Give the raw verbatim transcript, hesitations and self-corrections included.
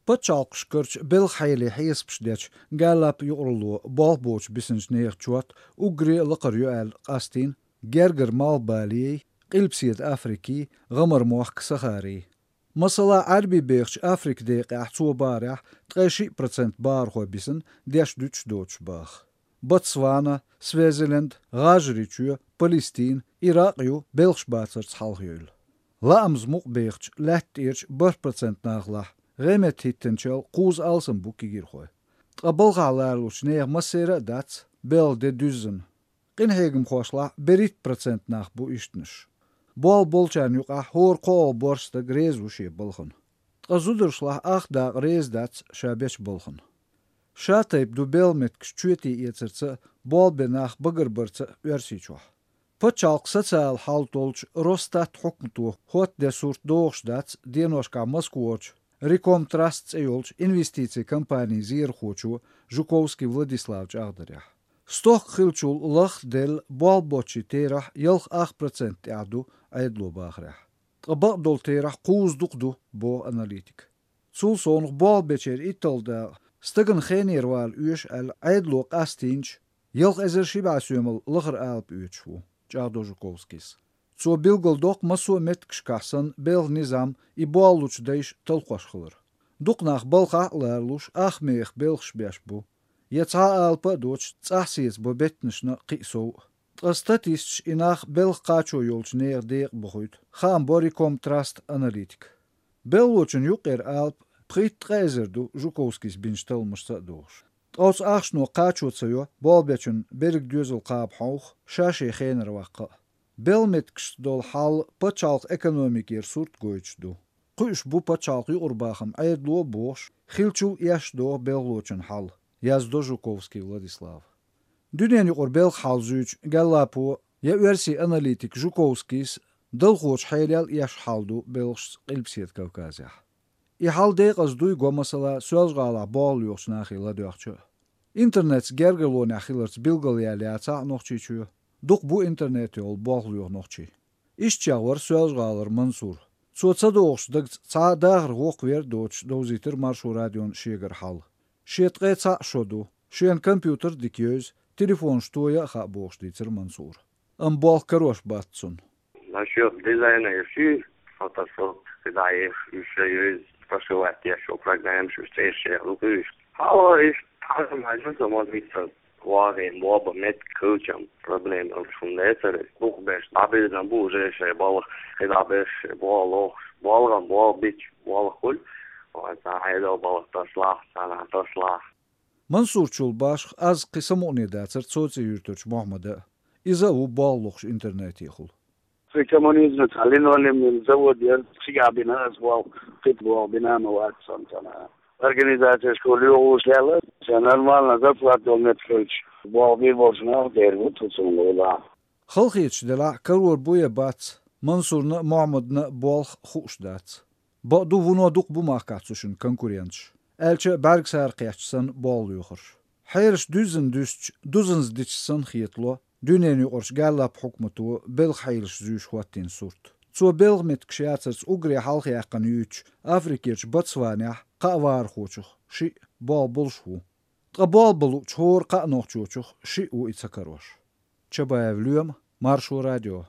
Пачхьалкхашкарчу белхан хьеле хьесапаш дечу Гэллап юкъаралло болх боцуш бисинчу нехан чот уггаре а лакхара ю аьлла къастийна гергара малхбалей, Къилбаседа Африкий, ГӀамар-мохк Сахарий. Масала, Ӏаьрбий бехачу Африкин декъехь цо бахарехь ткъе шиъ процент бахархой бисина деш-дуьтуш доцуш баха. Ботсвана, Свазиленд, ГӀажарийчоь, Палестина, Иракъ ю белхаш бацарца хьалхайевлла. Лаамца мукъа бехачу лаьтта тӀерачу бархӀ процент нахалахь гӀеметтахӀиттинчул кхузза алсам бу кегийрхой. Ткъа балхахь лоруш нехан массеран а дац белхан де дуьззина. Къинхьегамхошлахь берхӀитта процент нах бу ишттанаш. Болх болчарна юкъахь хӀора кхоалгӀа борш стаг реза ву шен балхана. Ткъа зударшлахь ах дакъа реза дац ша бечу балхана. Ша тайпа ду белхан меттигаш чоьте эцарца а, болх бен нах багарбарца а Оьрсийчохь. Пачхьалкхан социалан хьал толлучу Росстат хьукмато хӀоттаде сурт догӀуш дац деношкахь Москварчу Рикомтраст цӀе йолчу инвестицийн компанин зерахочо Жуковский Владислава чӀагӀдарехь. Стохка хиллачул лахха делла болх боцчийн терахь ялх ах процент тӀехь ду Ӏедало бахарехь. Ткъа бакъдолу терахь кхузза дукха ду, боху аналитика. Цул совнаха болх бечеран итталгӀа дакъа стагана хенера вала оьшу аьлла Ӏедало къастийначу ялх эзар ши бӀе соьмал лахара алапа оьцуш ву, чӀагӀдо Жуковскийс. Цо билгалдоккху массо а меттигашкахь санна белхан низам и болх лучу дайша талхош хилар. Дукха нах балхахь а лоруш, ах мехах белхаш беш бу. Я цхьа а алапа а доцуш, цӀахь сецабо беттанашна а, кхин а сов а. Ткъа статисташа и нах белхан кхачо йолчу нехан декъа бохуьйту, хаам бо Рикомтраст аналитика. Белхалочун юккъера алапа пхийтта-ткъа эзар ду, Жуковскийс бинчу талламашца а догӀуш. Ткъа оцу ахчано кхачо ца йо болх бечун берриг доьзал кхаба хьовха, ша шен хенара ваккха а. Белхан меттигашца долу хьал пачхьалкхан экономикера сурт гойтуш ду. Кхуьуш бу пачхьалкхан юкъарабахам Ӏедало а бохуш, хиллачул а эшна догӀу белхалочун хьал, яздо Жуковский Владислава. Дуьненан юкъара белхан хьал зуьйчу Гэллапо я оьрсийн аналитик Жуковскийс далхочу хьелел эшна хьал ду белхашца Къилбаседа Кавказехь. И хьал декъаза дуй го, масала, Соьлжа-ГӀалахь болх лоьхучу нахе ладоьгӀча а. Интернетца гергарлонехь хиларца билгалъяьлла яцахь а Нохчийчоь, дукха бу интернетехула болх лоьху нохчий. Иштта чӀагӀвара Соьлжа-ГӀалара Мансур. Цо ца догӀучу дагца цхьа а дахаран гӀуллакх вер а доцуш довзийтира Маршо радион шегара хьал. Шен ткъе цхьаъ шо ду, шена компьютер а дика евза, телефонаш тоя а хаьа бохуш дийцира Мансура. Амма болх карош бац цунна. Насчёт дизайна и ши фотошоп, кхидӀа еш, уьш шайн евза, прошивать еш, шо программаш, уьш цӀераш еш ду кхуьуш. Хьала иштта хьажа-мажа ца ма вица. ВагӀе боба меттиг хилчам, проблема уьш хӀума дацара. Дукхахберш дӀабирзина бу уже шайн балха, кхидӀа берш шайн болх лохуш, болх а болх бича, болх хуьлу, вайн цхьа хьедал балха ташлахь, цхьанхьа ташлахь. Мансурчул башха аз кхин самукъане дацара Цоци-Юьртарчу Мохьмада а. Иза а ву болх лохуш интернетехула. Кхин коммунизман цхьа линолеуман завод яра, цигахь бина аса болх, кхин болх бина а ма вац сан цхьана. Организацешка лоьхуш лелла, ша нормально зарплата долу меттиг хилча, болх бийр болчу наха дер бу тхо цунна гӀуллакх. Халахеташ делахь а, карор бу я бац, Мансурна а, Мохьмадна а болх хууш дац. Бакъду, вуно дукха бу махкахь цу шинна конкуренташ, аьлча а бӀаьргсара кхеттачу санна болх лоьхурш. Хьелаш дуьззина дуьстича, дузанза дича санна хетало дуьненан юкъарчу Гэллап хьукмато белхан хьелаш зуьйш хӀоттийна сурт. Цо белхан меттигаш яцарца уггаре хьалхаяьккхина юьйцучу Африкерчу Ботсванехь кхаа вахархочух шиъ болх болуш ву. Ткъа болх бан луучу хӀора кхаа нохчочух шиъ ву и ца карош. Чабаев Лоьма, Маршо радио.